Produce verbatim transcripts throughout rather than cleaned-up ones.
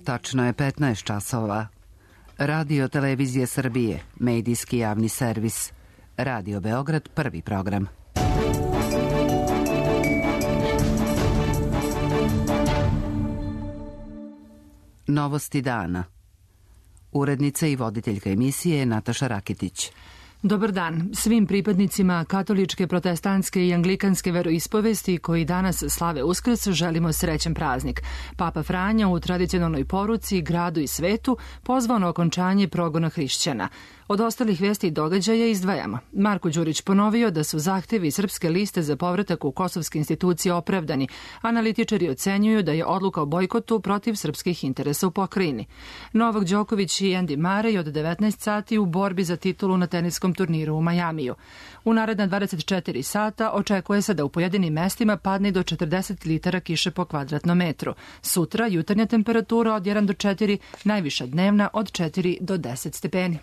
Tačno je petnaest časova. Radio Televizije Srbije, medijski javni servis. Radio Beograd, prvi program. Novosti dana. Urednica i voditeljka emisije je Nataša Rakitić. Dobar dan svim pripadnicima katoličke, protestantske i anglikanske veroispovesti koji danas slave Uskrs želimo srećan praznik. Papa Franja u tradicionalnoj poruci gradu i svetu pozvao na okončanje progona hrišćana. Od ostalih vesti i događaja izdvajamo. Marko Đurić ponovio da su zahtevi Srpske liste za povratak u kosovske institucije opravdani. Analitičari ocenjuju da je odluka o bojkotu protiv srpskih interesa u pokrajini. Novak Đoković i Andy Murray od devetnaest sati u borbi za titulu na teniskom turniru u Majamiju. U naredna dvadeset četiri sata očekuje se da u pojedinim mestima padne do četrdeset litara kiše po kvadratnom metru. Sutra jutarnja temperatura od jedan do četiri, najviša dnevna od četiri do deset stepeni.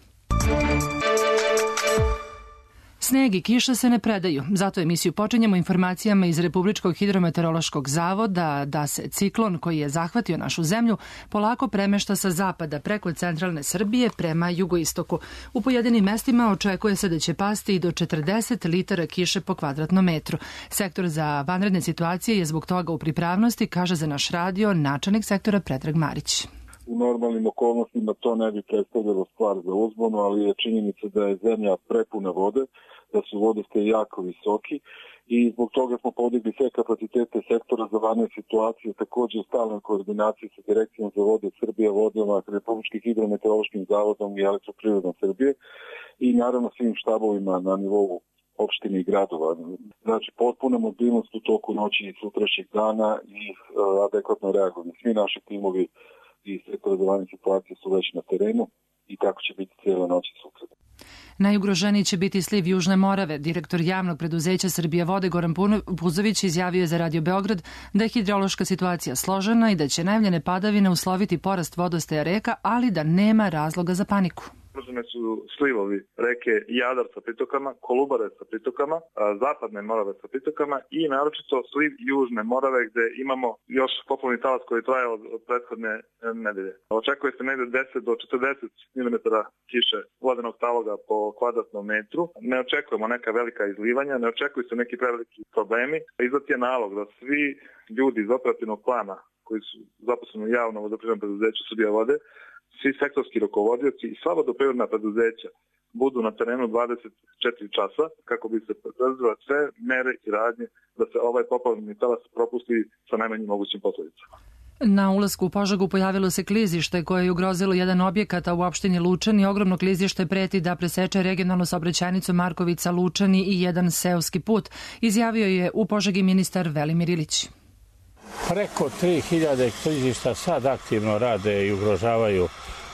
Sneg i kiša se ne predaju, zato emisiju počinjemo informacijama iz Republičkog hidrometeorološkog zavoda da se ciklon koji je zahvatio našu zemlju polako premešta sa zapada preko centralne Srbije prema jugoistoku. U pojedinim mestima očekuje se da će pasti i do četrdeset litara kiše po kvadratnom metru. Sektor za vanredne situacije je zbog toga u pripravnosti, kaže za naš radio načelnik sektora Predrag Marić. U normalnim okolnostima to ne bi predstavljalo stvar za uzbunu, ali je činjenica da je zemlja prepuna vode, da su vodostaji jako visoki i zbog toga smo podigli sve kapacitete sektora za vanredne situacije, također u stalnoj koordinaciji sa Direkcijom za vode Srbije, vodama, Republičkim hidrometeorološkim zavodom i Elektroprivredom Srbije i naravno svim štabovima na nivou opštine i gradova. Znači, potpuna mobilnost u toku noći i sutrašnjeg dana i uh, adekvatno reagovanje. Svi naši timovi i sektora za vanredne situacije su već na terenu i tako će biti cijela noć i sutra. Najugroženiji će biti sliv Južne Morave. Direktor javnog preduzeća Srbija vode Goran Puzović izjavio je za Radio Beograd da je hidrološka situacija složena i da će najavljene padavine usloviti porast vodostaja reka, ali da nema razloga za paniku. Ugrožene su slivovi reke Jadar sa pritokama, Kolubare sa pritokama, zapadne Morave sa pritokama i naročito sliv Južne Morave gde imamo još poplavni talas koji traje od, od prethodne nedelje. Očekuje se negde deset do četrdeset milimetara kiše vodenog taloga po kvadratnom metru. Ne očekujemo neka velika izlivanja, ne očekuju se neki preveliki problemi. Izdat je nalog da svi ljudi iz operativnog plana koji su zaposleni u javnom vodoprivrednom preduzeću Srbija vode, svi sektorski rukovodioci i sva vodoprivredna preduzeća budu na terenu dvadeset četiri časa kako bi se preduzele sve mere i radnje da se ovaj poplavni talas propusti sa najmanjim mogućim posledicama. Na ulasku u Požegu pojavilo se klizište koje je ugrozilo jedan objekat, a u opštini Lučani ogromno klizište preti da preseče regionalnu saobraćajnicu Markovica-Lučani i jedan seoski put, izjavio je u Požegi ministar Velimir Ilić. Preko tri hiljade klizišta sad aktivno rade i ugrožavaju,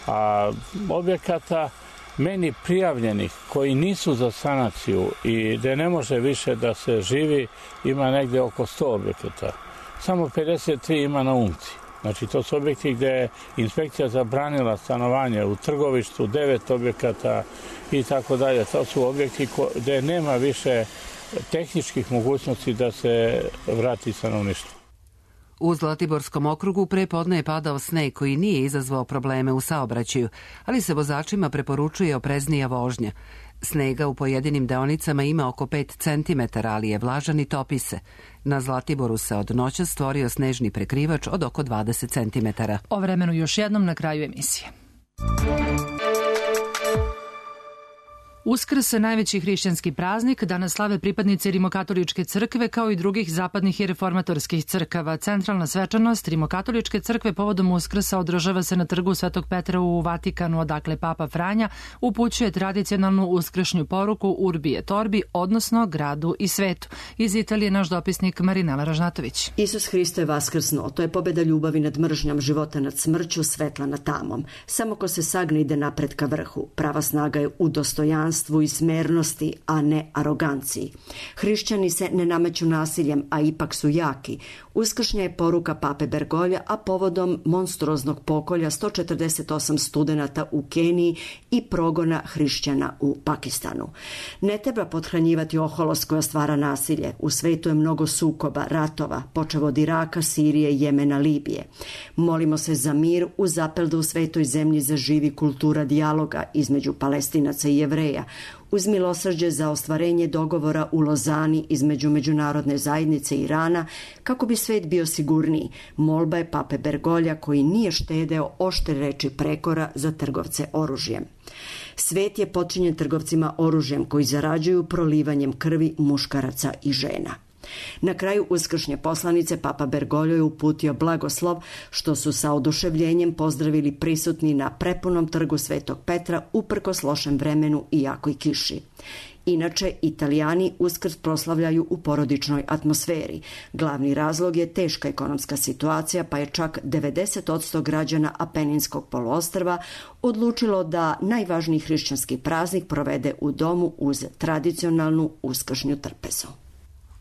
a objekata meni prijavljenih koji nisu za sanaciju i gde ne može više da se živi ima negde oko sto objekata. Samo pedeset tri ima na Umci. Znači to su objekti gde je inspekcija zabranila stanovanje u Trgovištu, devet objekata i tako dalje. To su objekti gde nema više tehničkih mogućnosti da se vrati stanovništvo. U Zlatiborskom okrugu pre podne je padao sneg koji nije izazvao probleme u saobraćaju, ali se vozačima preporučuje opreznija vožnja. Snega u pojedinim deonicama ima oko pet centimetara, ali je vlažan i topi se. Na Zlatiboru se od noća stvorio snežni prekrivač od oko dvadeset centimetara. O vremenu još jednom na kraju emisije. Uskrs, najveći hrišćanski praznik, danas slave pripadnici Rimokatoličke crkve kao i drugih zapadnih i reformatorskih crkava. Centralna svečanost Rimokatoličke crkve povodom Uskrsa održava se na trgu Svetog Petra u Vatikanu, odakle Papa Franja upućuje tradicionalnu uskršnju poruku Urbi et Orbi, odnosno gradu i svetu. Iz Italije naš dopisnik Marinela Ražnatović. Isus Hristo je vaskrsnuo, to je pobeda ljubavi nad mržnjom, života nad smrću, svetla nad tamom. Samo ko se sagne ide napred ka vrhu. Prava snaga je u dostojanstvu dostojanstvu i smernosti, a ne aroganciji. Hrišćani se ne nameću nasiljem, a ipak su jaki. Uskršnja je poruka pape Bergolja, a povodom monstruoznog pokolja sto četrdeset osam studenata u Keniji i progona hrišćana u Pakistanu. Ne treba pothranjivati oholost koja stvara nasilje. U svetu je mnogo sukoba, ratova, počev od Iraka, Sirije, Jemena, Libije. Molimo se za mir uz apel da u svetoj zemlji zaživi kultura dijaloga između Palestinaca i Jevreja, uz milosrđe za ostvarenje dogovora u Lozani između međunarodne zajednice i Irana, kako bi svet bio sigurniji. Molba je pape Bergolja, koji nije štedeo oštre reči prekora za trgovce oružjem. Svet je počinjen trgovcima oružjem koji zarađuju prolivanjem krvi muškaraca i žena. Na kraju uskršnje poslanice papa Bergoglio je uputio blagoslov, što su sa oduševljenjem pozdravili prisutni na prepunom trgu Svetog Petra uprkos lošem vremenu i jakoj kiši. Inače, Italijani Uskrs proslavljaju u porodičnoj atmosferi. Glavni razlog je teška ekonomska situacija, pa je čak devedeset posto građana Apeninskog poluostrva odlučilo da najvažniji hrišćanski praznik provede u domu uz tradicionalnu uskršnju trpezu.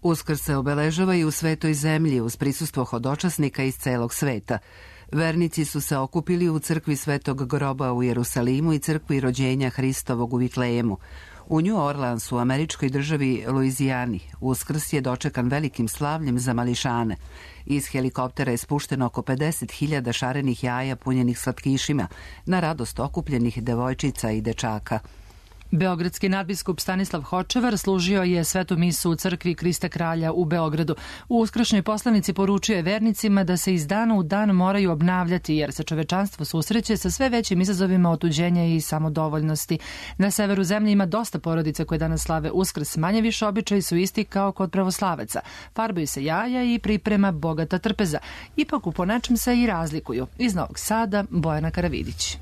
Uskrs se obeležava i u svetoj zemlji uz prisustvo hodočasnika iz celog sveta. Vernici su se okupili u crkvi Svetog groba u Jerusalimu i crkvi rođenja Hristovog u Vitlejemu. U New Orleansu, u američkoj državi Luizijani, Uskrs je dočekan velikim slavljem za mališane. Iz helikoptera je spušteno oko pedeset hiljada šarenih jaja punjenih slatkišima na radost okupljenih devojčica i dečaka. Beogradski nadbiskup Stanislav Hočevar služio je svetu misu u crkvi Krista Kralja u Beogradu. U uskršnjoj poslanici poručio je vernicima da se iz dana u dan moraju obnavljati, jer se čovečanstvo susreće sa sve većim izazovima otuđenja i samodovoljnosti. Na severu zemlje ima dosta porodica koje danas slave Uskrs. Manje više običaji su isti kao kod pravoslavaca. Farbaju se jaja i priprema bogata trpeza. Ipak u ponečem se i razlikuju. Iz Novog Sada, Bojana Karavidić.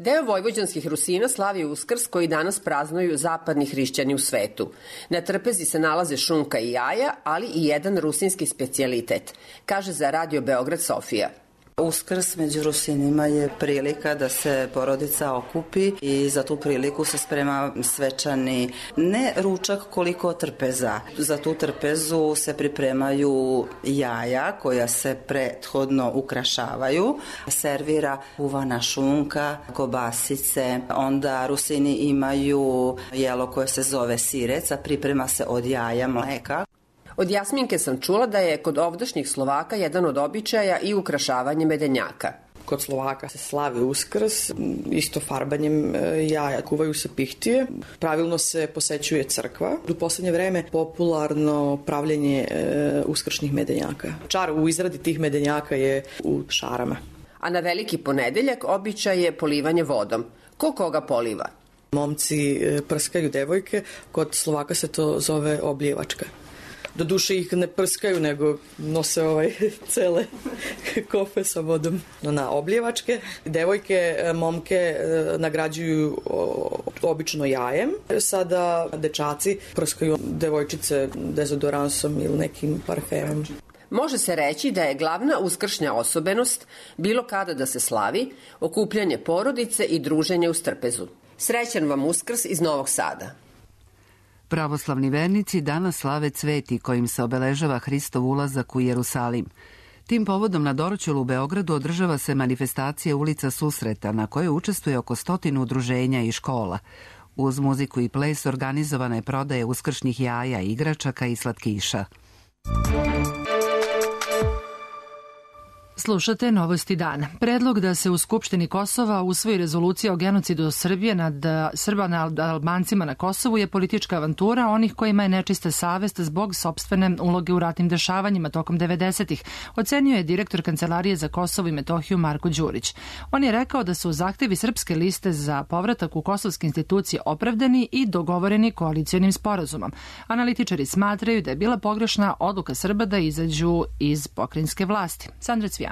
Deo vojvođanskih Rusina slavi Uskrs koji danas praznuju zapadni hrišćani u svetu. Na trpezi se nalaze šunka i jaja, ali i jedan rusinski specijalitet, kaže za Radio Beograd Sofija. Uskrs među Rusinima je prilika da se porodica okupi i za tu priliku se sprema svečani ne ručak koliko trpeza. Za tu trpezu se pripremaju jaja koja se prethodno ukrašavaju, servira uvana šunka, kobasice, onda Rusini imaju jelo koje se zove sirec, a priprema se od jaja, mleka. Od Jasminke sam čula da je kod ovdašnjih Slovaka jedan od običaja i ukrašavanje medenjaka. Kod Slovaka se slavi Uskrs, isto farbanjem jaja, kuvaju se pihtije, pravilno se posećuje crkva. U poslednje vreme popularno pravljenje e, uskršnjih medenjaka. Čar u izradi tih medenjaka je u šarama. A na Veliki ponedeljak običaj je polivanje vodom. Ko koga poliva? Momci prskaju devojke, kod Slovaka se to zove obljevačka. Do duše ih ne prskaju, nego nose ovaj cele kofe sa vodom na obljevačke. Devojke, momke nagrađuju obično jajem. Sada dečaci prskaju devojčice dezodoransom ili nekim parfemom. Može se reći da je glavna uskršnja osobenost, bilo kada da se slavi, okupljanje porodice i druženje uz trpezu. Srećan vam Uskrs iz Novog Sada. Pravoslavni vernici danas slave cveti kojim se obeležava Hristov ulazak u Jerusalim. Tim povodom na Dorćolu u Beogradu održava se manifestacija Ulica susreta na kojoj učestvuje oko stotinu udruženja i škola. Uz muziku i ples organizovana je prodaja uskršnjih jaja, igračaka i slatkiša. Slušate Novosti dana. Predlog da se u Skupštini Kosova usvoji rezolucija o genocidu Srbije nad Srba nad Albancima na Kosovu je politička avantura onih kojima je nečista savest zbog sopstvene uloge u ratnim dešavanjima tokom devedesetih, ocenio je direktor Kancelarije za Kosovo i Metohiju Marko Đurić. On je rekao da su zahtevi Srpske liste za povratak u kosovske institucije opravdani i dogovoreni koalicionim sporazumom. Analitičari smatraju da je bila pogrešna odluka Srba da izađu iz pokrajinske vlasti. Sandra Cvijanović.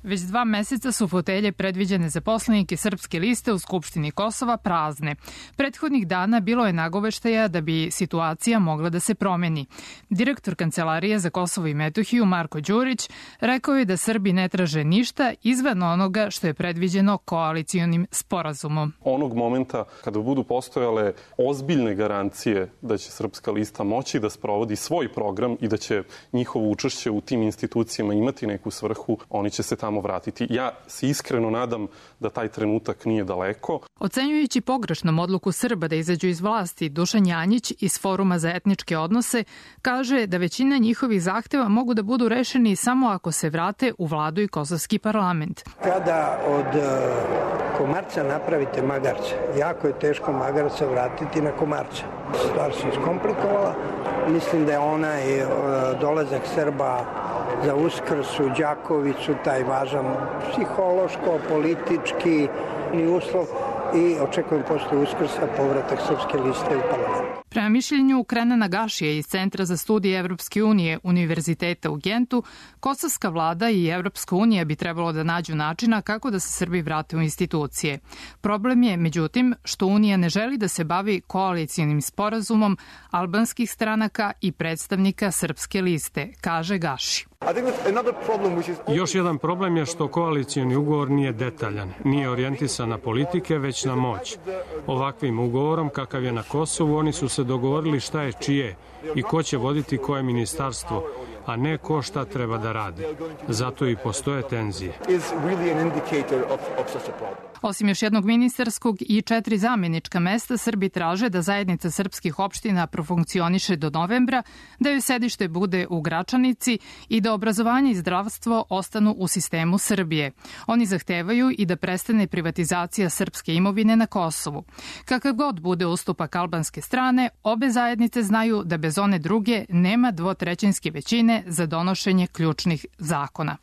Već dva meseca su fotelje predviđene za poslanike Srpske liste u Skupštini Kosova prazne. Prethodnih dana bilo je nagoveštaja da bi situacija mogla da se promeni. Direktor Kancelarije za Kosovo i Metohiju Marko Đurić rekao je da Srbi ne traže ništa izvan onoga što je predviđeno koalicijonim sporazumom. Onog momenta kada budu postojale ozbiljne garancije da će Srpska lista moći da sprovodi svoj program i da će njihovo učešće u tim institucijama imati neku svrhu, oni će se tamo vratiti. Ja se iskreno nadam da taj trenutak nije daleko. Ocenjujući pogrešnom odluku Srba da izađu iz vlasti, Dušan Janjić iz Foruma za etničke odnose kaže da većina njihovih zahteva mogu da budu rešeni samo ako se vrate u vladu i kosovski parlament. Kada od Komarca napravite Magarca, jako je teško Magarca vratiti na Komarca. Stvar se iskomplikovala. Mislim da je onaj dolazak Srba za Uskrs u Đakovicu taj važan psihološko, politički uslov i očekujem posle Uskrsa povratak Srpske liste u parlament. Prema mišljenju Krenana Gašija iz Centra za studije Evropske unije Univerziteta u Gentu, kosovska vlada i Evropska unija bi trebalo da nađu načina kako da se Srbi vrate u institucije. Problem je, međutim, što Unija ne želi da se bavi koalicijonim sporazumom albanskih stranaka i predstavnika Srpske liste, kaže Gaši. Još jedan problem je što koalicijni ugovor nije detaljan, nije orijentisan na politike, već na moć. Ovakvim ugovorom, kakav je na Kosovu, oni su se dogovorili šta je čije i ko će voditi koje ministarstvo, a ne ko šta treba da radi. Zato i postoje tenzije. Osim još jednog ministarskog i četiri zamjenička mesta, Srbi traže da zajednica srpskih opština profunkcioniše do novembra, da joj sedište bude u Gračanici i da obrazovanje i zdravstvo ostanu u sistemu Srbije. Oni zahtevaju i da prestane privatizacija srpske imovine na Kosovu. Kakav god bude ustupak albanske strane, obe zajednice znaju da bez one druge nema dvotrećinske većine za donošenje ključnih zakona.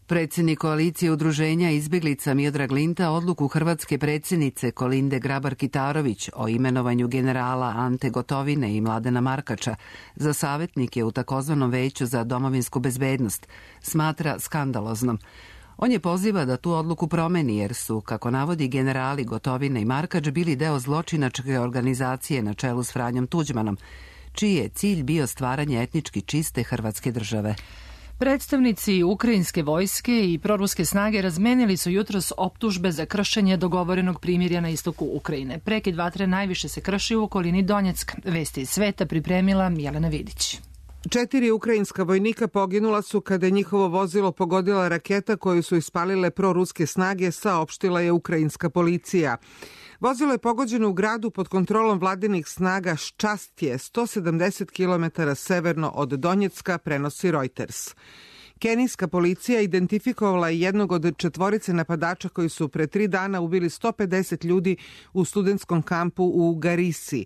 Predsjednik koalicije udruženja izbjeglica Miodrag Linta odluku hrvatske predsjednice Kolinde Grabar-Kitarović o imenovanju generala Ante Gotovine i Mladena Markača za savjetnike u takozvanom veću za domovinsku bezbednost smatra skandaloznom. On je poziva da tu odluku promeni jer su, kako navodi generali Gotovina i Markač, bili deo zločinačke organizacije na čelu s Franjom Tuđmanom, čiji je cilj bio stvaranje etnički čiste hrvatske države. Predstavnici ukrajinske vojske i proruske snage razmenili su jutros optužbe za kršenje dogovorenog primirja na istoku Ukrajine. Prekid vatre najviše se krši u okolini Donjecka. Vesti iz sveta pripremila Jelena Vidić. Četiri ukrajinska vojnika poginula su kada je njihovo vozilo pogodila raketa koju su ispalile proruske snage, saopštila je ukrajinska policija. Vozilo je pogođeno u gradu pod kontrolom vladinih snaga Ščastje, sto sedamdeset kilometara severno od Donjecka, prenosi Reuters. Kenijska policija identifikovala je jednog od četvorice napadača koji su pre tri dana ubili sto pedeset ljudi u studentskom kampu u Garisi.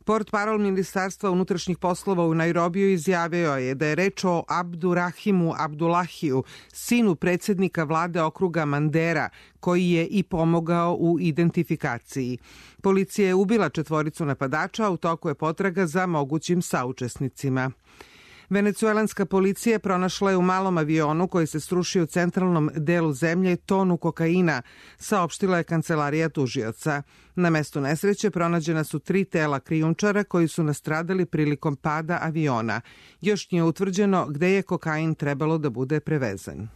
Portparol Ministarstva unutrašnjih poslova u Nairobiju izjavio je da je reč o Abdurahimu Abdullahiju, sinu predsjednika vlade okruga Mandera, koji je i pomogao u identifikaciji. Policija je ubila četvoricu napadača, a u toku je potraga za mogućim saučesnicima. Venecuelanska policija pronašla je u malom avionu koji se srušio u centralnom delu zemlje tonu kokaina, saopštila je kancelarija tužioca. Na mestu nesreće pronađena su tri tela krijumčara koji su nastradali prilikom pada aviona. Još nije utvrđeno gde je kokain trebalo da bude prevezen.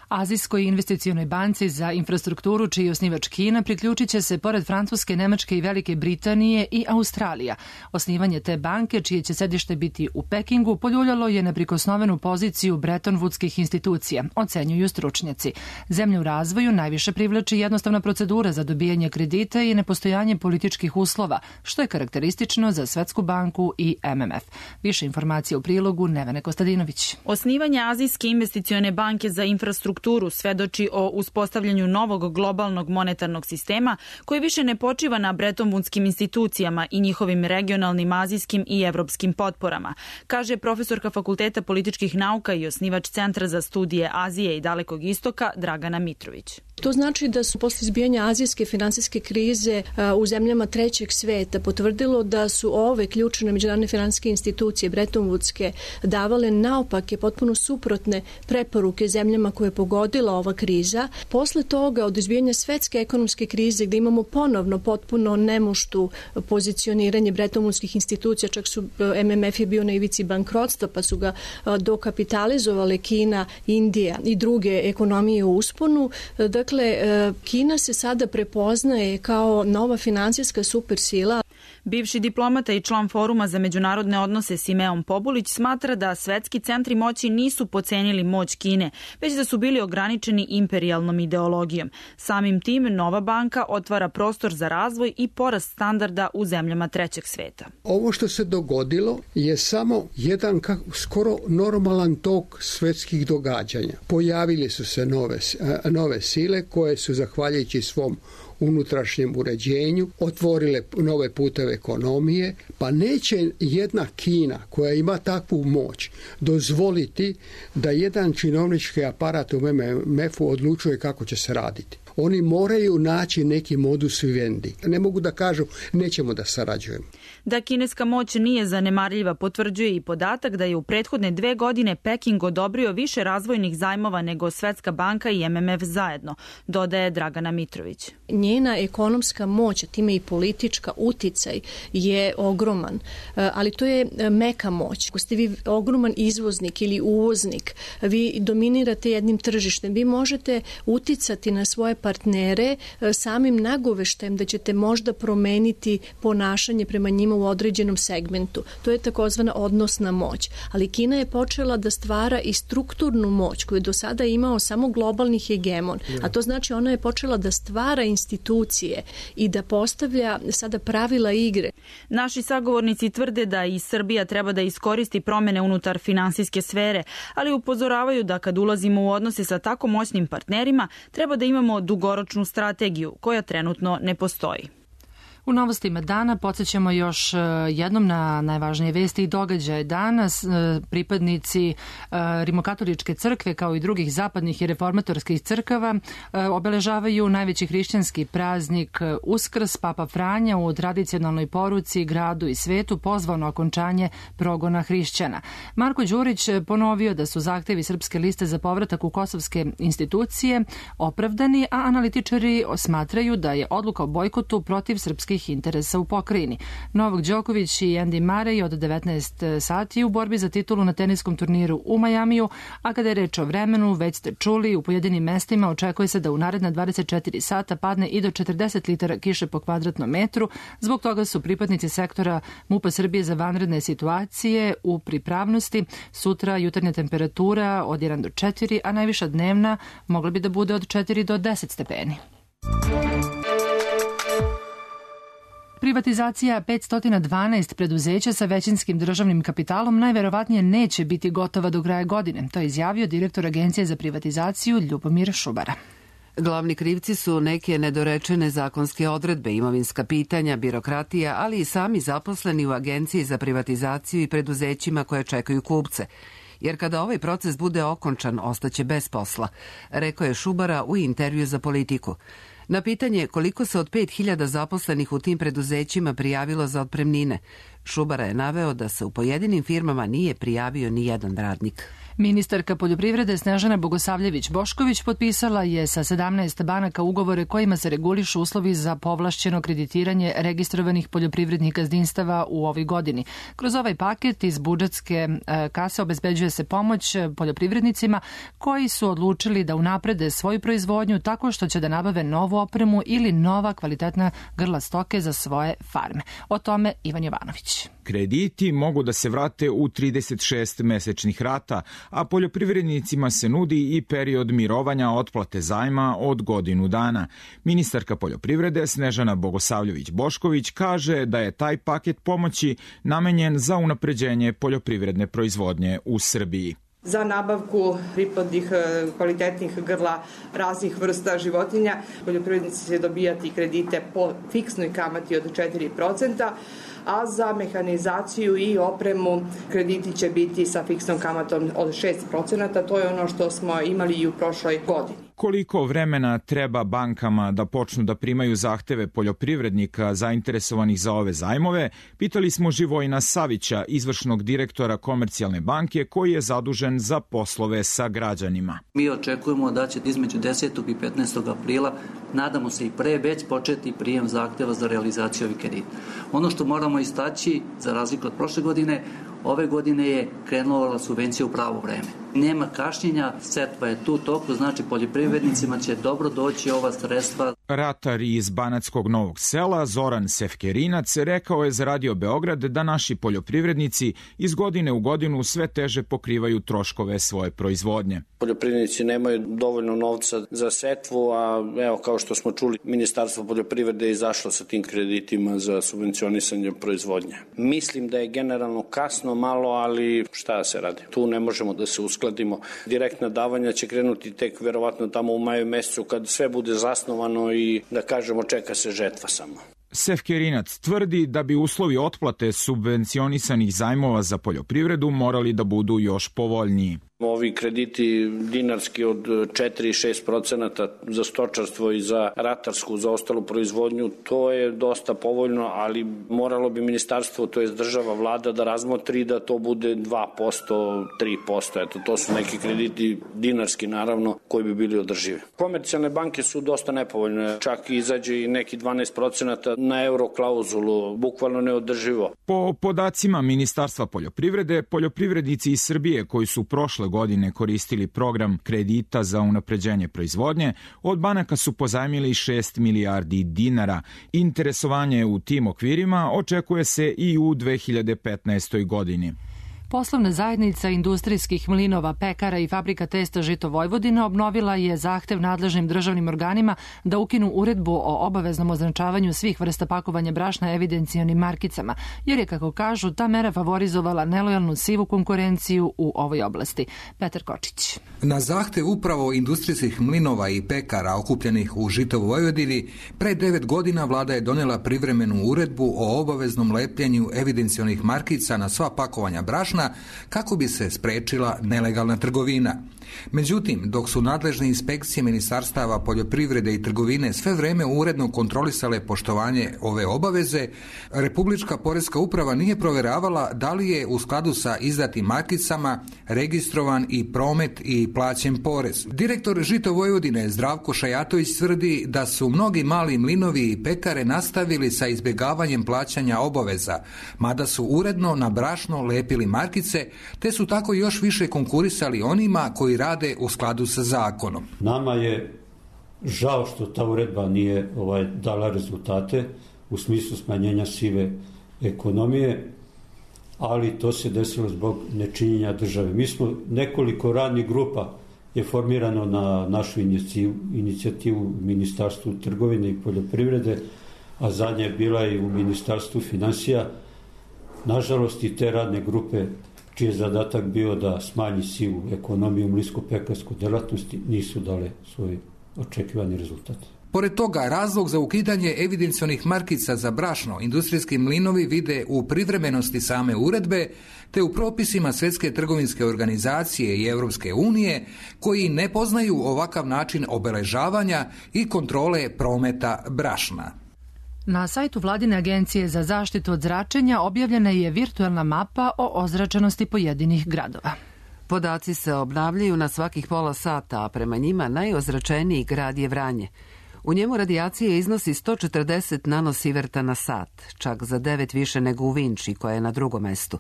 Azijskoj investicionoj banci za infrastrukturu, čiji je osnivač Kina, priključit će se pored Francuske, Nemačke i Velike Britanije i Australija. Osnivanje te banke, čije će sedište biti u Pekingu, poljuljalo je neprikosnovenu poziciju Bretton Woodskih institucija, ocenjuju stručnjaci. Zemlje u razvoju najviše privlači jednostavna procedura za dobijanje kredita i nepostojanje političkih uslova, što je karakteristično za Svetsku banku i M M F. Više informacija u prilogu Nevene Kostadinović. Osnivanje Azijske investicione banke za infrastrukturu svedoči o uspostavljanju novog globalnog monetarnog sistema koji više ne počiva na Bretton Woodskim institucijama i njihovim regionalnim azijskim i evropskim potporama, kaže profesorka Fakulteta političkih nauka i osnivač Centra za studije Azije i Dalekog istoka Dragana Mitrović. To znači da su posle izbijanja azijske finansijske krize u zemljama trećeg sveta potvrdilo da su ove ključne međunarodne finansijske institucije Bretton Woodske davale naopake, potpuno suprotne preporuke zemljama koje pogođavaju dogodila ova kriza, posle toga od izbijanja svetske ekonomske krize gde imamo ponovno potpuno nemuštu pozicioniranje bretonvudskih institucija, čak su M M F je bio na ivici bankrotstva pa su ga dokapitalizovale Kina, Indija i druge ekonomije u usponu. Dakle, Kina se sada prepoznaje kao nova finansijska supersila. Bivši diplomata i član Foruma za međunarodne odnose Simeon Pobulić smatra da svetski centri moći nisu pocenili moć Kine, već da su bili ograničeni imperijalnom ideologijom. Samim tim, nova banka otvara prostor za razvoj i porast standarda u zemljama trećeg sveta. Ovo što se dogodilo je samo jedan skoro normalan tok svetskih događanja. Pojavili su se nove, nove sile koje su, zahvaljujući svom unutrašnjem uređenju, otvorile nove puteve ekonomije, pa neće jedna Kina koja ima takvu moć dozvoliti da jedan činovnički aparat u M M F-u odlučuje kako će se raditi. Oni moraju naći neki modus vivendi. Ne mogu da kažu nećemo da sarađujemo. Da kineska moć nije zanemarljiva potvrđuje i podatak da je u prethodne dve godine Peking odobrio više razvojnih zajmova nego Svetska banka i M M F zajedno, dodaje Dragana Mitrović. Njena ekonomska moć, a time i politička uticaj je ogroman, ali to je meka moć. Ako ste vi ogroman izvoznik ili uvoznik, vi dominirate jednim tržištem, vi možete uticati na svoje partnere samim nagoveštajem da ćete možda promeniti ponašanje prema njima u određenom segmentu. To je takozvana odnosna moć. Ali Kina je počela da stvara i strukturnu moć koju je do sada imao samo globalni hegemon. A to znači ona je počela da stvara institucije i da postavlja sada pravila igre. Naši sagovornici tvrde da i Srbija treba da iskoristi promene unutar finansijske sfere, ali upozoravaju da kad ulazimo u odnose sa tako moćnim partnerima, treba da imamo dugoročnu strategiju koja trenutno ne postoji. U novostima dana podsjećamo još jednom na najvažnije vesti i događaje. Danas pripadnici Rimokatoličke crkve kao i drugih zapadnih i reformatorskih crkava obeležavaju najveći hrišćanski praznik Uskrs. Papa Franja u tradicionalnoj poruci gradu i svetu pozvao na okončanje progona hrišćana. Marko Đurić ponovio da su zahtevi Srpske liste za povratak u kosovske institucije opravdani, a analitičari smatraju da je odluka o bojkotu protiv srpskih interesa u pokrajini. Novak Đoković i Andy Murray od devetnaest sati u borbi za titulu na teniskom turniru u Majamiju, a kada je reč o vremenu, već ste čuli, u pojedinim mestima očekuje se da u naredna dvadeset četiri sata padne i do četrdeset litara kiše po kvadratnom metru. Zbog toga su pripadnici sektora MUP-a Srbije za vanredne situacije u pripravnosti. Sutra jutarnja temperatura od jedan do četiri, a najviša dnevna mogla bi da bude od četiri do deset stepeni. Privatizacija petsto dvanaest preduzeća sa većinskim državnim kapitalom najverovatnije neće biti gotova do kraja godine. To je izjavio direktor Agencije za privatizaciju Ljubomir Šubara. Glavni krivci su neke nedorečene zakonske odredbe, imovinska pitanja, birokratija, ali i sami zaposleni u Agenciji za privatizaciju i preduzećima koje čekaju kupce. Jer kada ovaj proces bude okončan, ostaće bez posla, rekao je Šubara u intervju za Politiku. Na pitanje koliko se od pet hiljada zaposlenih u tim preduzećima prijavilo za otpremnine, Šubara je naveo da se u pojedinim firmama nije prijavio ni jedan radnik. Ministarka poljoprivrede Snežana Bogosavljević-Bošković potpisala je sa sedamnaest banaka ugovore kojima se regulišu uslovi za povlašćeno kreditiranje registrovanih poljoprivrednih gazdinstava u ovoj godini. Kroz ovaj paket iz budžetske kase obezbeđuje se pomoć poljoprivrednicima koji su odlučili da unaprede svoju proizvodnju tako što će da nabave novu opremu ili nova kvalitetna grla stoke za svoje farme. O tome Ivan Jovanović. Krediti mogu da se vrate u trideset šest mesečnih rata, a poljoprivrednicima se nudi i period mirovanja otplate zajma od godinu dana. Ministarka poljoprivrede Snežana Bogosavljević-Bošković kaže da je taj paket pomoći namenjen za unapređenje poljoprivredne proizvodnje u Srbiji. Za nabavku priplodnih kvalitetnih grla raznih vrsta životinja poljoprivrednici će dobijati kredite po fiksnoj kamati od četiri procenta, a za mehanizaciju i opremu krediti će biti sa fiksnom kamatom od šest procenata. To je ono što smo imali i u prošloj godini. Koliko vremena treba bankama da počnu da primaju zahteve poljoprivrednika zainteresovanih za ove zajmove, pitali smo Živojina Savića, izvršnog direktora Komercijalne banke, koji je zadužen za poslove sa građanima. Mi očekujemo da će između desetog i petnaestog aprila, nadamo se i pre, već početi prijem zahteva za realizaciju ovih kredita. Ono što moramo istaći, za razliku od prošle godine, ove godine je krenula subvencija u pravo vreme. Nema kašnjenja, setva je tu toku, znači poljoprivrednicima će dobro doći ova sredstva. Ratar iz Banatskog Novog Sela, Zoran Sefkerinac, rekao je za Radio Beograd da naši poljoprivrednici iz godine u godinu sve teže pokrivaju troškove svoje proizvodnje. Poljoprivrednici nemaju dovoljno novca za setvu, a evo kao što smo čuli, Ministarstvo poljoprivrede je izašlo sa tim kreditima za subvencionisanje proizvodnje. Mislim da je generalno kasno malo, ali šta se radi? Tu ne možemo da se uskladimo. Direktna davanja će krenuti tek verovatno tamo u maju mesecu kad sve bude zasnovano i da kažemo čeka se žetva samo. Sefkerinac tvrdi da bi uslovi otplate subvencionisanih zajmova za poljoprivredu morali da budu još povoljniji. Ovi krediti dinarski od četiri do šest procenata za stočarstvo i za ratarsku, za ostalu proizvodnju, to je dosta povoljno, ali moralo bi ministarstvo, to je država, vlada da razmotri da to bude dva posto, tri posto. Eto, to su neki krediti dinarski, naravno, koji bi bili održivi. Komercijalne banke su dosta nepovoljne, čak izađe i neki dvanaest procenata na euro klauzulu, bukvalno neodrživo. Po podacima Ministarstva poljoprivrede, poljoprivrednici iz Srbije koji su prošle godine koristili program kredita za unapređenje proizvodnje, od banaka su pozajmili šest milijardi dinara. Interesovanje u tim okvirima očekuje se i u dve hiljade petnaestoj. godini. Poslovna zajednica industrijskih mlinova, pekara i fabrika testa Žito Vojvodina obnovila je zahtev nadležnim državnim organima da ukinu uredbu o obaveznom označavanju svih vrsta pakovanja brašna evidencijonim markicama, jer je, kako kažu, ta mera favorizovala nelojalnu sivu konkurenciju u ovoj oblasti. Petar Kočić. Na zahtev upravo industrijskih mlinova i pekara okupljenih u Žito Vojvodini, pre devet godina vlada je donijela privremenu uredbu o obaveznom lepljenju evidencijonih markica na sva pakovanja brašna kako bi se sprečila nelegalna trgovina. Međutim, dok su nadležne inspekcije ministarstava poljoprivrede i trgovine sve vreme uredno kontrolisale poštovanje ove obaveze, Republička poreska uprava nije provjeravala da li je u skladu sa izdatim markicama registrovan i promet i plaćen porez. Direktor Žito Vojvodine Zdravko Šajatović tvrdi da su mnogi mali mlinovi i pekare nastavili sa izbjegavanjem plaćanja obaveza, mada su uredno na brašno lepili markice, te su tako još više konkurisali onima koji rade u skladu sa zakonom. Nama je žao što ta uredba nije ovaj, dala rezultate u smislu smanjenja sive ekonomije, ali to se desilo zbog nečinjenja države. Mi smo nekoliko radnih grupa je formirano na našu inicijativu, inicijativu Ministarstvu trgovine i poljoprivrede, a zadnja je bila i u Ministarstvu finansija. Nažalost, i te radne grupe čiji je zadatak bio da smanji sivu ekonomiju u mlinsko-pekarskoj delatnosti, nisu dale svoj očekivani rezultat. Pored toga, razlog za ukidanje evidencionih markica za brašno industrijski mlinovi vide u privremenosti same uredbe, te u propisima Svjetske trgovinske organizacije i Europske unije, koji ne poznaju ovakav način obeležavanja i kontrole prometa brašna. Na sajtu Vladine agencije za zaštitu od zračenja objavljena je virtualna mapa o ozračenosti pojedinih gradova. Podaci se obnavljaju na svakih pola sata, a prema njima najozračeniji grad je Vranje. U njemu radijacija iznosi sto četrdeset nanosiverta na sat, čak za devet više nego u Vinči, koja je na drugom mestu.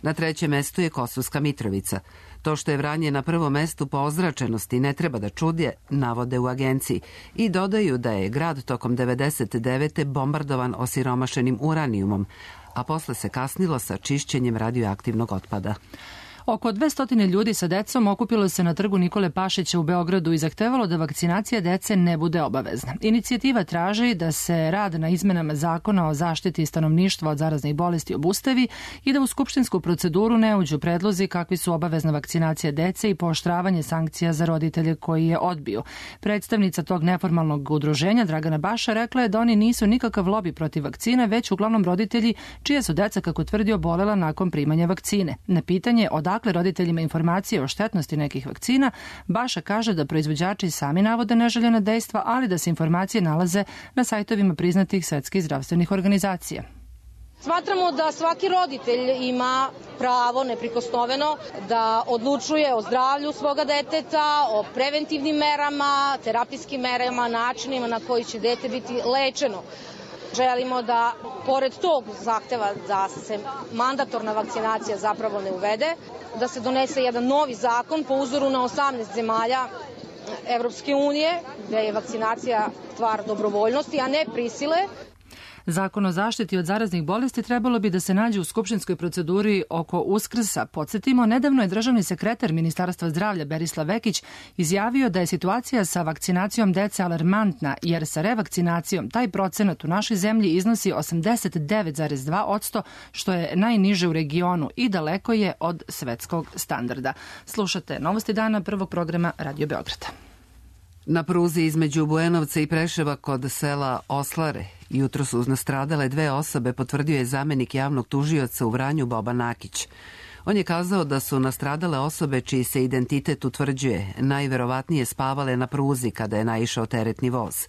Na trećem mestu je Kosovska Mitrovica. To što je Vranje na prvom mestu po ozračenosti ne treba da čudje, navode u agenciji, i dodaju da je grad tokom devedeset devete bombardovan osiromašenim uranijumom, a posle se kasnilo sa čišćenjem radioaktivnog otpada. Oko dvesta ljudi sa decom okupilo se na trgu Nikole Pašića u Beogradu i zahtevalo da vakcinacija dece ne bude obavezna. Inicijativa traži da se rad na izmenama zakona o zaštiti stanovništva od zaraznih bolesti obustavi i da u skupštinsku proceduru ne uđu predlozi kakvi su obavezna vakcinacija dece i pooštravanje sankcija za roditelje koji je odbiju. Predstavnica tog neformalnog udruženja Dragana Baša rekla je da oni nisu nikakav lobi protiv vakcine, već uglavnom roditelji čije su deca, kako tvrdi, obolela nakon primanja vakcine. Na pitanje odakle dakle roditeljima informacije o štetnosti nekih vakcina, Baša kaže da proizvođači sami navode neželjena dejstva, ali da se informacije nalaze na sajtovima priznatih svetskih zdravstvenih organizacija. Smatramo da svaki roditelj ima pravo neprikosnoveno da odlučuje o zdravlju svoga deteta, o preventivnim merama, terapijskim merama, načinima na koji će dete biti lečeno. Želimo da, pored tog zahteva da se mandatorna vakcinacija zapravo ne uvede, da se donese jedan novi zakon po uzoru na osamnaest zemalja Evropske unije, gde je vakcinacija stvar dobrovoljnosti, a ne prisile. Zakon o zaštiti od zaraznih bolesti trebalo bi da se nađe u skupštinskoj proceduri oko Uskrsa. Podsjetimo, nedavno je državni sekretar Ministarstva zdravlja Berislav Vekić izjavio da je situacija sa vakcinacijom dece alarmantna, jer sa revakcinacijom taj procenat u našoj zemlji iznosi osamdeset devet zarez dva posto, što je najniže u regionu i daleko je od svetskog standarda. Slušate Novosti dana prvog programa Radio Beograda. Na pruzi između Bujanovca i Preševa kod sela Oslare jutro su nastradale dve osobe, potvrdio je zamenik javnog tužioca u Vranju Boba Nakić. On je kazao da su nastradale osobe čiji se identitet utvrđuje, najverovatnije spavale na pruzi kada je naišao teretni voz.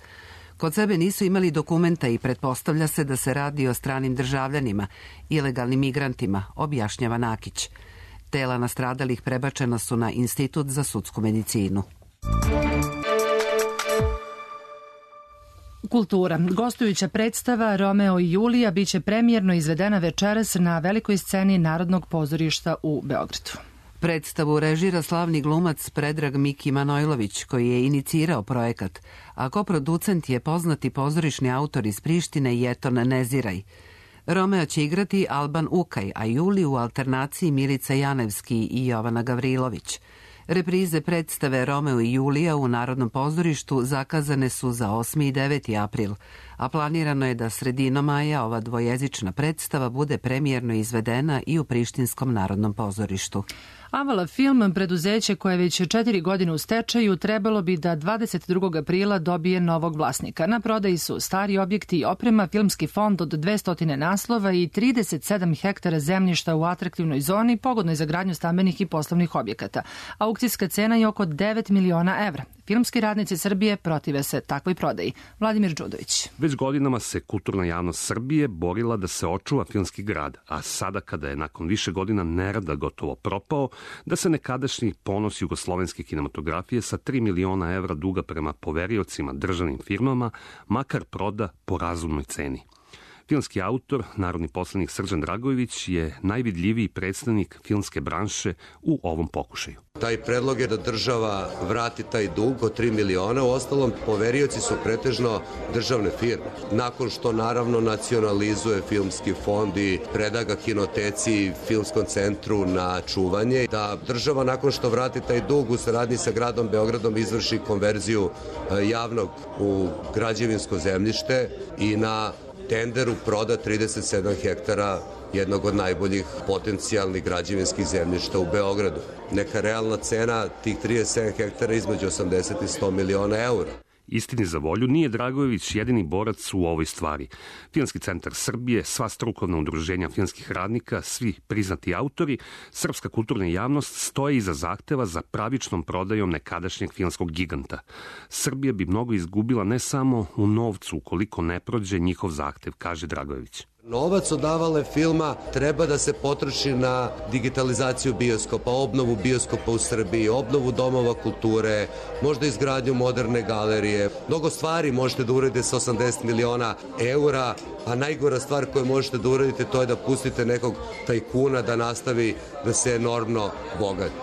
Kod sebe nisu imali dokumenta i pretpostavlja se da se radi o stranim državljanima, ilegalnim migrantima, objašnjava Nakić. Tela nastradalih prebačena su na Institut za sudsku medicinu. Kultura. Gostujuća predstava Romeo i Julija biće premijerno izvedena večeras na velikoj sceni Narodnog pozorišta u Beogradu. Predstavu režira slavni glumac Predrag Miki Manojlović, koji je inicirao projekat, a koproducent je poznati pozorišni autor iz Prištine Jeton Neziraj. Romeo će igrati Alban Ukaj, a Juliju u alternaciji Milica Janevski i Jovana Gavrilović. Reprize predstave Romeo i Julija u Narodnom pozorištu zakazane su za osmi i deveti april, a planirano je da sredinom maja ova dvojezična predstava bude premijerno izvedena i u Prištinskom Narodnom pozorištu. Avala Film, preduzeće koje je već četiri godine u stečaju, trebalo bi da dvadeset drugog aprila dobije novog vlasnika. Na prodaji su stari objekti i oprema, filmski fond od dvesta naslova i trideset sedam hektara zemljišta u atraktivnoj zoni, pogodnoj za gradnju stambenih i poslovnih objekata. Aukcijska cena je oko devet miliona evra. Filmski radnici Srbije protive se takvoj prodaji. Vladimir Đudović. Već godinama se kulturna javnost Srbije borila da se očuva filmski grad, a sada kada je nakon više godina nerada gotovo propao, da se nekadašnji ponos jugoslovenske kinematografije sa tri miliona evra duga prema poveriocima državnim firmama makar proda po razumnoj ceni. Filmski autor, narodni poslanik Srđan Dragojević je najvidljiviji predstavnik filmske branše u ovom pokušaju. Taj predlog je da država vrati taj dug od tri miliona, u ostalom poverioci su pretežno državne firme. Nakon što naravno nacionalizuje filmski fond i preda ga kinoteci i filmskom centru na čuvanje, da država nakon što vrati taj dug u saradnji sa gradom Beogradom izvrši konverziju javnog u građevinsko zemljište i na tenderu proda trideset sedam hektara jednog od najboljih potencijalnih građevinskih zemljišta u Beogradu. Neka realna cena tih trideset sedam hektara između osamdeset i sto miliona eura. Istini za volju, nije Dragojević jedini borac u ovoj stvari. Filmski centar Srbije, sva strukovna udruženja filmskih radnika, svi priznati autori, srpska kulturna javnost stoje iza zahteva za pravičnom prodajom nekadašnjeg filmskog giganta. Srbija bi mnogo izgubila ne samo u novcu ukoliko ne prođe njihov zahtev, kaže Dragojević. Novac od Avale filma treba da se potroši na digitalizaciju bioskopa, obnovu bioskopa u Srbiji, obnovu domova kulture, možda izgradnju moderne galerije. Mnogo stvari možete da uradite sa osamdeset miliona eura, a najgora stvar koju možete da uradite to je da pustite nekog tajkuna da nastavi da se enormno bogati.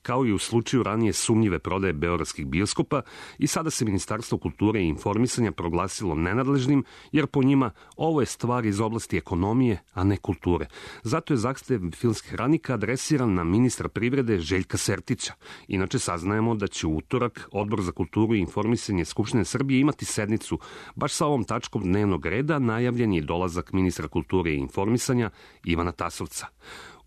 Kao i u slučaju ranije sumnjive prodaje beogradskih bioskopa, i sada se Ministarstvo kulture i informisanja proglasilo nenadležnim, jer po njima ovo je stvar iz oblasti ekonomije, a ne kulture. Zato je zahtev filmskih radnika adresiran na ministra privrede Željka Sertića. Inače saznajemo da će u utorak Odbor za kulturu i informisanje Skupštine Srbije imati sednicu baš sa ovom tačkom dnevnog reda. Najavljen je dolazak ministra kulture i informisanja Ivana Tasovca.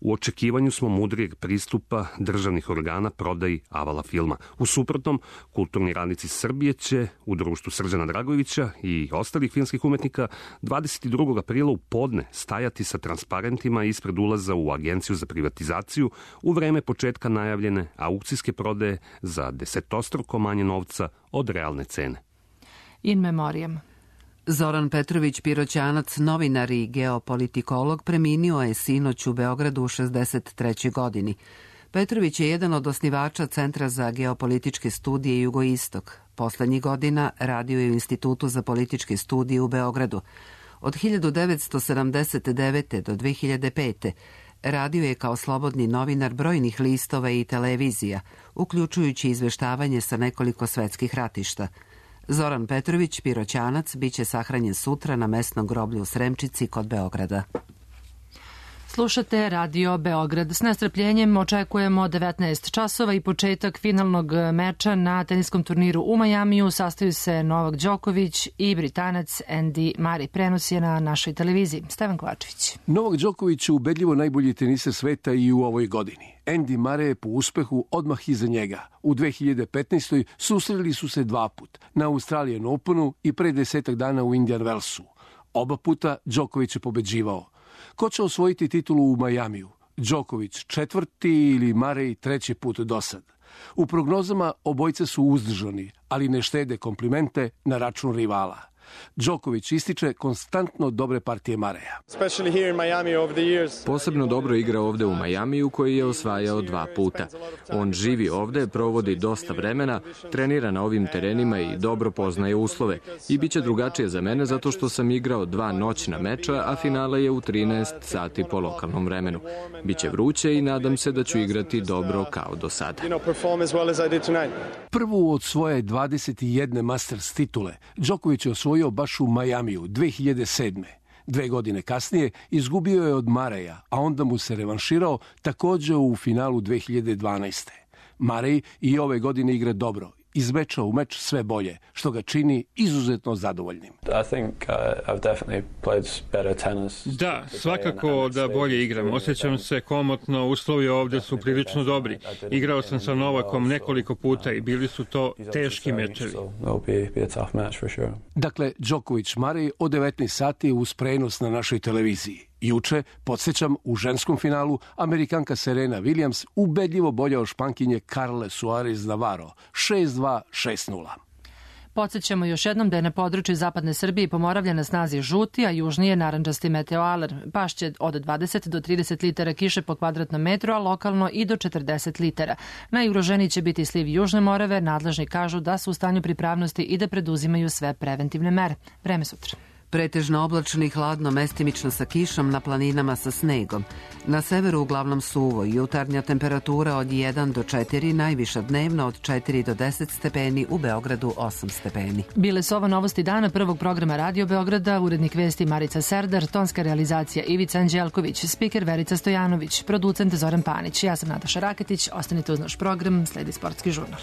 U očekivanju smo mudrijeg pristupa državnih organa prodaji avala filma. U suprotnom, kulturni radnici Srbije će u društvu Srđana Dragojevića i ostalih filmskih umetnika dvadeset drugog aprila u podne stajati sa transparentima ispred ulaza u Agenciju za privatizaciju u vreme početka najavljene aukcijske prodaje za desetostruko manje novca od realne cene. In memoriam. Zoran Petrović Piroćanac, novinar i geopolitikolog, preminio je sinoć u Beogradu u šezdeset trećoj godini. Petrović je jedan od osnivača Centra za geopolitičke studije Jugoistok. Poslednjih godina radio je u Institutu za političke studije u Beogradu. Od hiljadu devetsto sedamdeset devete. do dve hiljade pete. radio je kao slobodni novinar brojnih listova i televizija, uključujući izveštavanje sa nekoliko svetskih ratišta. Zoran Petrović Piroćanac biće sahranjen sutra na mesnom groblju u Sremčici kod Beograda. Slušate Radio Beograd. S nestrpljenjem očekujemo devetnaest časova i početak finalnog meča na teniskom turniru u Majamiju. Sastaju se Novak Đoković i Britanac Andy Murray. Prenos je na našoj televiziji. Stevan Kovačević. Novak Đoković je ubedljivo najbolji teniser sveta i u ovoj godini. Andy Murray je po uspehu odmah iza njega. U dve hiljade petnaestoj. susreli su se dva put, na Australian Openu i pre desetak dana u Indian Wellsu. Oba puta Đoković je pobeđivao. Ko će osvojiti titulu u Majamiju? Đoković četvrti ili Murray treći put do sad? U prognozama obojca su uzdržani, ali ne štede komplimente na račun rivala. Đoković ističe konstantno dobre partije Mareja. Posebno dobro igra ovde u Majamiju, koji je osvajao dva puta. On živi ovde, provodi dosta vremena, trenira na ovim terenima i dobro poznaje uslove. I bit će drugačije za mene zato što sam igrao dva noćna meča, a finale je u trinaest sati po lokalnom vremenu. Biće vruće i nadam se da ću igrati dobro kao do sada. Prvu od svoje dvadeset jedne Masters titule Đoković je osvojio baš u Majamiju dve hiljade sedme. Dve godine kasnije izgubio je od Mareja, a onda mu se revanširao takođe u finalu dve hiljade dvanaeste. Murray i ove godine igra dobro, iz meča u meč sve bolje, što ga čini izuzetno zadovoljnim. Da, svakako da bolje igram. Osjećam se komotno, uslovi ovde su prilično dobri. Igrao sam sa Novakom nekoliko puta i bili su to teški mečevi. Dakle, Đoković Murray od devetnaest sati uz prenos na našoj televiziji. Juče, podsjećam, u ženskom finalu Amerikanka Serena Williams ubedljivo bolja od Špankinje Carle Suarez Navarro, šest dva, šest nula. Podsjećamo još jednom da je na području zapadne Srbije i Pomoravlja na snazi žuti, a južnije narandžasti meteoalarm. Pašće od dvadeset do trideset litara kiše po kvadratnom metru, a lokalno i do četrdeset litara. Najugroženiji će biti sliv Južne Morave. Nadležni kažu da su u stanju pripravnosti i da preduzimaju sve preventivne mere. Vreme sutra. Pretežno oblačno i hladno, mestimično sa kišom, na planinama sa snegom. Na severu uglavnom suvo, jutarnja temperatura od jedan do četiri, najviša dnevna od četiri do deset stepeni, u Beogradu osam stepeni. Bile su ovo novosti dana prvog programa Radio Beograda, urednik vesti Marica Serdar, tonska realizacija Ivica Anđelković, spiker Verica Stojanović, producent Zoran Panić. Ja sam Nataša Raketić, ostanite uz naš program, sledi sportski žurnal.